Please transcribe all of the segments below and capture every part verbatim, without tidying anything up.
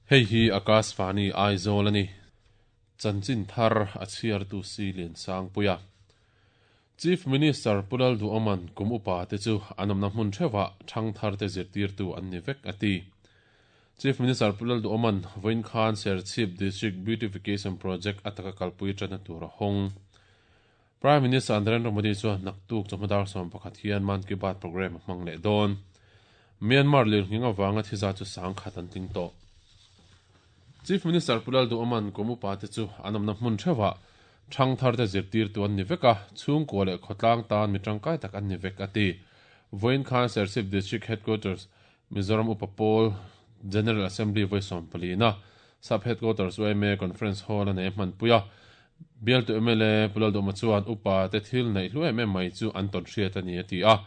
Hei hi Akashvani Aizawl a ni. Chanchin thar a chhiartu si Lian Sangpuia. Chief Minister Pu Lalduhoma'n kum upa te chu an awmna hmun theuhah thangthar te zirtirtu an ni vek a ti. Chief Minister Pu Lalduhoma'n vawiin khan Serchhip District Beautification Project ataka kalpui tana tur a hawng. Prime Minister Narendra Modi chuan naktuk chawhma dar sawm pakhat hian Mann Ki Baat program a hmang leh dawn. Myanmar lirnghing avanga thiza chu sang khat an tling tawh. Chief Minister Pu Lalduhoma'n kum upa te chu an awmna hmun theuhah thangthar te zirtirtu an ni vek a, chhungkua leh khawtlang tan mi tangkai tak an ni vek a ti. Vawiin khan Serchhip District Headquarters Mizoram Upa Pawl General Assembly vawi sawm palina Sub Headquarters Y M A Conference Hall a nei a hmanpui a. Bialtu M L A Pu Lalduhoma chuan upa te thil neih hlu em em mai chu an tawn hriat a ni a ti a.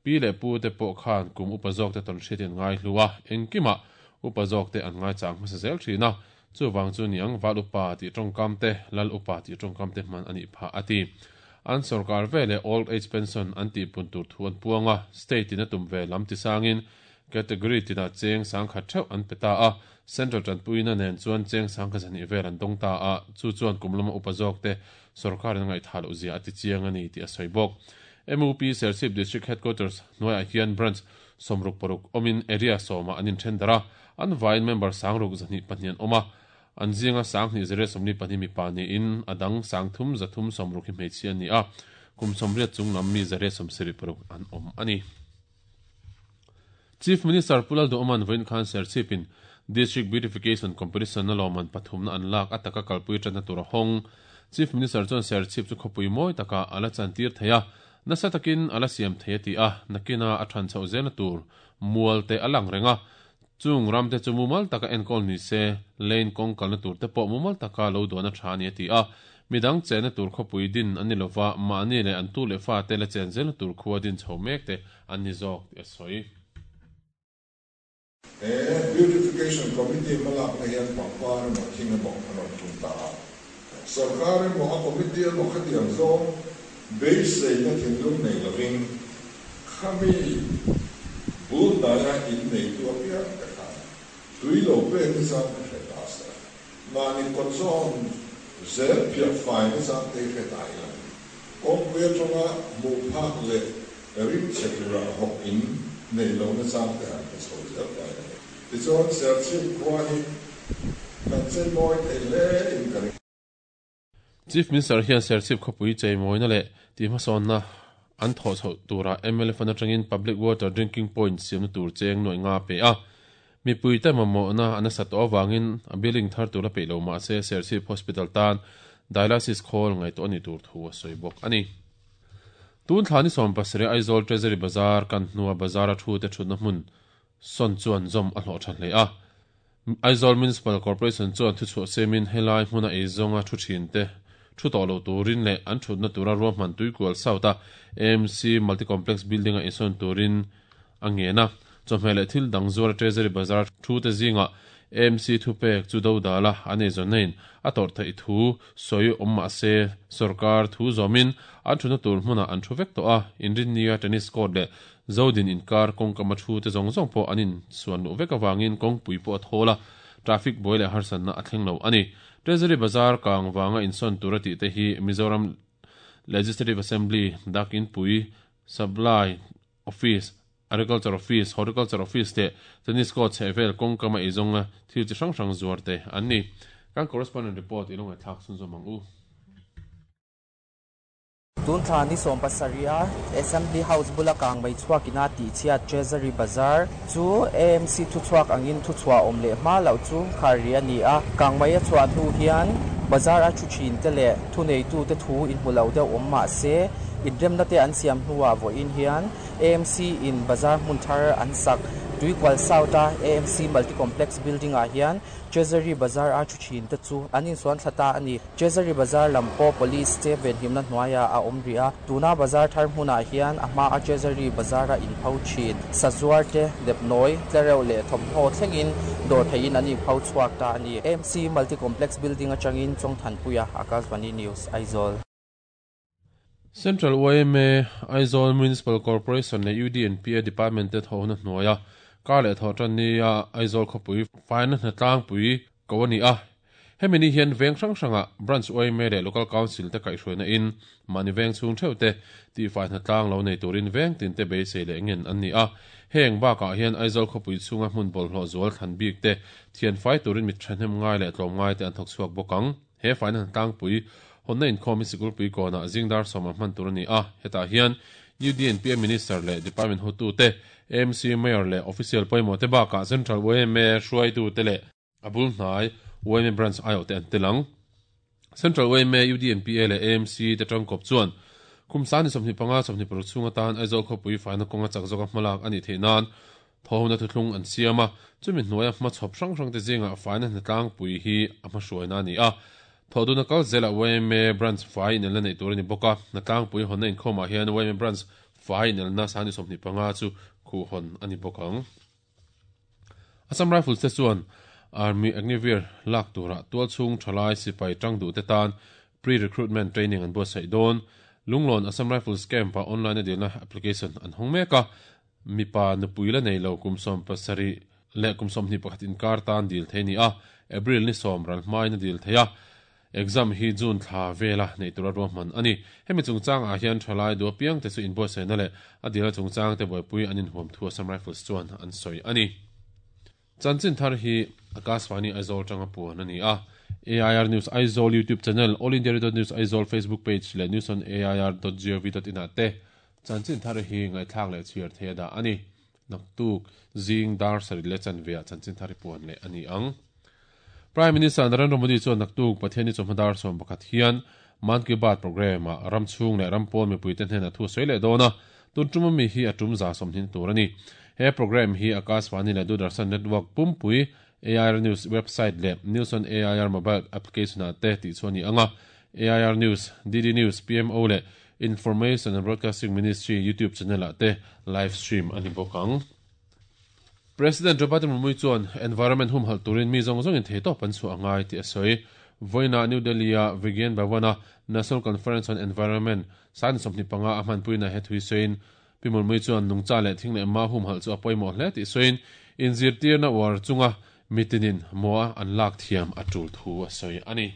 Pi leh pu te pawh khan kum upa zawk te tawn hriatin ngai hlu a, engkimah upa zawk te an ngai chang hmasa zel thin a, chuwang chu niang val upa tih tawngkam te, lal upa tih tawngkam te hman ani pha a ti. An sarkar vele old age pension an ti pun tur thu an puanga, state in a tum ve lam ti sangin category tina cheng sang khat theuh an peta a, central tanpuina nen chuan cheng sang kha zani vel an dawng ta a, chu chuan kumlama upa zawk te sarkar in ngai tha lo zia ati chiang ani ti a sawi bawk. M U P Serchhip District Headquarters hnuaiah hian branch sawmruk paruk awmin area sawma an inthendara, an vain member sangruk zahnih pahnih an awm a, an zinga sanghnih zariat sawmli pahnih mipa niin a dang sangthum zathum sawmruk hi hmeichhia ani a, kum sawmriat chunglam mi zariat sawmsarih paruk an awm ani. Chief Minister Pu Lalduhoma'n vawiin khan Serchhipin District Beautification Competition na lawman pathumna an lak ataka kalpui tana tur a hawng. Chief Minister chuan Serchhip chu khawpui mawi taka ala chantir theia, nasa takin ala siam thei ti a, nakina a than chho zel tur mual te alang renga, chung ram te chu mumal taka enkawl ni se, lane kawng kalna tur te pawh mumal taka lo duan a tha ni a ti a. Midang chena tur khawpui din ani lova, mahni le an tu le fa te la chen zel tur khuwa din chho mek te an ni zawk ti a sawi. He Beautification Committee malak na hian pangpar emaw thing emaw an rawn phun ta a, sarkar emaw a committee emaw khatiang zawng beisei na thinlung nei lovin khami bul hnaia in nei tu apiang te khan tui lo pek ni chang te hre ta se, mahni kawt zawn zel phiah fai ni chang te hre ta ila, kawngpui atanga hmuh phak leh rim chhe tura hawk in nei lo na chang te han hre chho zel ta ila, tichuan Serchhip khua hi kan chei mawi thei hle in ka ring. Chief Minister hian Serchhip khawpui chei mawina leh ti hmasawnna an thaw chho tura M L A fund atangin public water drinking point siamna tur cheng nuai nga pe a. Mipui te mamawh na an asa tawh awangin a building thar tur a peih lo mah se Serchhip Hospital tan dialysis khawl ngai tawh ani tur thu a sawi bawk ani. Tun thla ni sawm pasarih Aizawl Treasury Bazar kan hnua bazar a thu te thutna hmun sawn chuan zawm a hlawh tha hle a. Aizawl Municipal Corporation chuan thu chhuah semin helai hmuna eizawnga thu thin te thu tawh lo turin leh an thutna tura ruahman Tuikual South a A M C Multi-Complex Building a insawn turin a ngena. Chawhmeh leh thil dang zuar Treasury Bazar thu te zinga A M C thu pek chu do dala an eizawn na in a tawrh theih thu sawi awm mah se sarkar thu zawmin an thutna tur hmunah an thu vek tawh a. Inrinnia tennis court leh Zodin inkar kawngkama thu te zawng zawng pawh an in suan luh vek awangin kawngpui pawh a thawl a, traffic buai leh harsatna a thleng lo ani. Treasury Bazar kang wanga insawn tur a tih te hi Mizoram Legislative Assembly dakin pui, Supply Office, Agriculture Office, Horticulture Office te tennis court chhehvel kawngkama eizawnga thil chi hrang hrang zuar te an ni. Kan correspondent report ilonga thlak sun zawm ang u. Tun thla ni sawm pasarih Assembly House bula kang mai chhuakina tih chhiat Treasury Bazar chu A M C thu chhuak angin thu chhuah awm leh hma loh chu khar ri ani a. Kang mai a chhuah hnu hian bazar a thu thin te leh thu nei tu te thu in hmu lo deuh awm mah se inremna te an siam hnuah vawiin hian A M C in bazar hmun thar an sak Tuikual South a A M C Multi Complex Building ah hian Treasury Bazar a thu thin te chu an insuan thla ta ani. Treasury Bazar lam pawh police te venhimna hnuaiah a awm ri a. Tuna bazar thar hmunah hian a hma a Treasury Bazar a inpho thin sazuar te nepnawi tlereuh leh thawmhnaw thlengin dawr theiin an inpho chhuak ta ani. A M C Multi Complex Building atangin Chawngthanpuia, Akashvani News, Aizawl. Central Y M A, Aizawl Municipal Corporation leh U D N P A Department te thawhna hnuaia Kar leh thaw tan nia Aizawl khawpui faina hnatlang pui ko ani a. Hemi ni hian veng hrang hranga branch Y M A leh local council te kaihhruaina in mahni veng chhung theuh te tih fai hnatlang lo nei turin veng tin te beisei leh ngen an ni a. Heng bakah hian Aizawl khawpui chhunga hmun bawlhhlawh zual thlan bik te thian fai turin mit thahnem ngai leh tlawm ngai te an thawk chhuak bawk ang. He faina hnatlang pui honna inkhawm hi sikul pui kawnah zingdar sawma hman tur ani a. Hetah hian U D N P A Minister leh Department hotu te, A M C Mayor leh Official pawimawh te bakah Central Y M A hruaitu te leh abul hnai Y M A branch ai te an telang. Central Y M A U D N P A leh A M C te tangkawp chuan kumsani sawmhnih panga sawmhnih paruk chhunga tan Aizawl khawpui faina kawnga chak zawka hmalak ani theih nan thawhna thuthlung an siama chumi hnuaia hma chhawp hrang hrang te zinga faina hnatlang pui hi a hma hruaina ani a. Thoduna kal zela Y M A branch fai inelna nei tur ani bawk a. Hnatlang pui hawnna inkhawmah hian Y M A branch fai inelna sani sawmhnih panga chu khuh hawn ani bawk ang. Assam Rifles te chuan Army Agniveer lak tura tual chhung thalai sipai tang du te tan pre-recruitment training an buatsaih dawn. Lunglon Assam Rifles camp a online a dilna application an hawng mek a. Mipa nupui la nei lo kumsawm pasarih leh kumsawm hnih pakhat inkar tan dil thei ni a. April ni sawm ral hmain a dil thei a. Exam hi June thla vela nei tura ruahman ani. Hemi chungchang ah hian thalai du apiang te chu inbuatsaihna leh a dila chungchang te buaipui an inhuam thu Assam Rifles chuan an sawi ani. Chanchin thar hi Akashvani Aizawl tanga puan ani a. A I R News Aizawl YouTube channel, All India Radio News Aizawl Facebook page leh news on A I R dot gov dot in ah te chanchin thar hi ngaithlak leh chhiar thei da ani. Naktuk zing dar sarih leh chanve ah chanchin thar hi puan leh ani ang. Prime Minister Narendra Modi chuan naktuk Pathiani chawhma sawm pakhat hian Mann Ki Baat program ah ram chhung leh ram pawn mipui te hnenah thu sawi leh dawn a. Tun tum ami hi a tum za sawmhnin tur ani. He program hi Akashvani leh Doordarshan Network pumpui A I R News website leh News on A I R mobile application ah te tih chu ani anga. A I R News, D D News, P M O leh Information and Broadcasting Ministry YouTube channel ah te live stream ani bawk ang. President Draupadi Murmu chuan environment hum hal turin mi zawng zawngin thei tawp an chu angai ti a sawi. Voina New Delhi a Vigyan Bhavana National Conference on Environment san sawmhnih panga a hmanpuina he thui sawiin Pi Murmu chuan nungcha leh thing leh ma hum hal chu a pawimawh hle tih sawiin inzirtirna uar chunga mitinin moa an lak thiam a tul thu a sawi ani.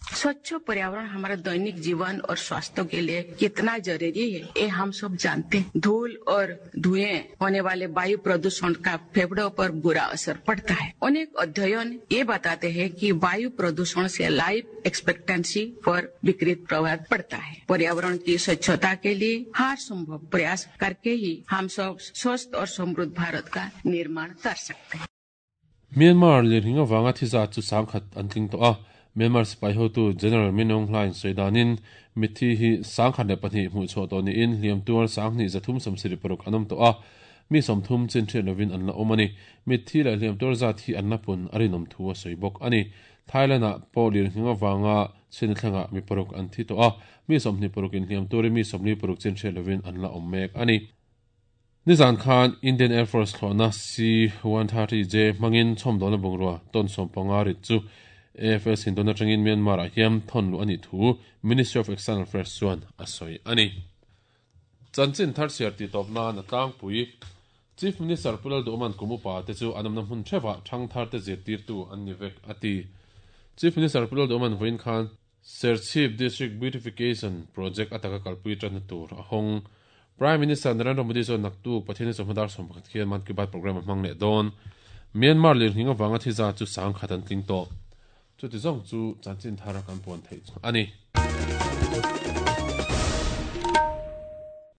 स्वच्छ पर्यावरण हमारे दैनिक जीवन और स्वास्थ्य के लिए कितना जरूरी है ये हम सब जानते हैं। धूल और धुएं होने वाले वायु प्रदूषण का फेफड़ों पर बुरा असर पड़ता है। अनेक अध्ययन ये बताते हैं कि वायु प्रदूषण से लाइफ एक्सपेक्टेंसी पर विपरीत प्रभाव पड़ता है। पर्यावरण की स्वच्छता के लिए हर संभव प्रयास करके ही हम सब स्वस्थ और समृद्ध भारत का निर्माण कर सकते हैं। Myanmar lirhinga wanga thiza chu sangkhat antling to a. Myanmar sipai hotu General Min Aung Hlaing sawidanin mithi hi sangkhat leh pahnih hmuh chhuah tawh niin hliam tuar sanghnih zathum sawmsarih paruk an awm tawh a. Mi sawmthum chin thian lovin an la awm ani. Mithi leh hliam tuar zat hi an la pun a rinawm thu a sawi bawk ani. Thailand ah pawh lirhinga wanga chin thlengah mi paruk an thi tawh a. Mi sawmhnih paruk in hliam tuarin mi sawmli paruk chin thian lovin an la awm mek ani. Nizan Khan Indian Air Force thlawhna C one thirty J hmangin chhawmdawlna bungrua tawn sawm panga rit chu A F S indona tangin Myanmar ah hian thawn lu ani thu Ministry of External Affairs chuan a sawi ani. Chanchin thar siar ti tawpna na tlangpui Chief Minister Pu Lalduhoma'n kum upa te chu an awmna hmun theuhah thang thar te zirtirtu an ni vek ati. Chief Minister Pu Lalduhoma'n vawiin khan Serchhip District Beautification Project ataka kalpui tanna tur a hawng. Prime Minister Narendra Modi chuan naktuk Pathiani chawhma dar sawm pakhat khian Mann Ki Baat program a hmang leh dawn. Myanmar lirhinga wanga thiza chu sangkhat an tling tawh. Chu ti zawng chu chanchin thar kan puan thei ani.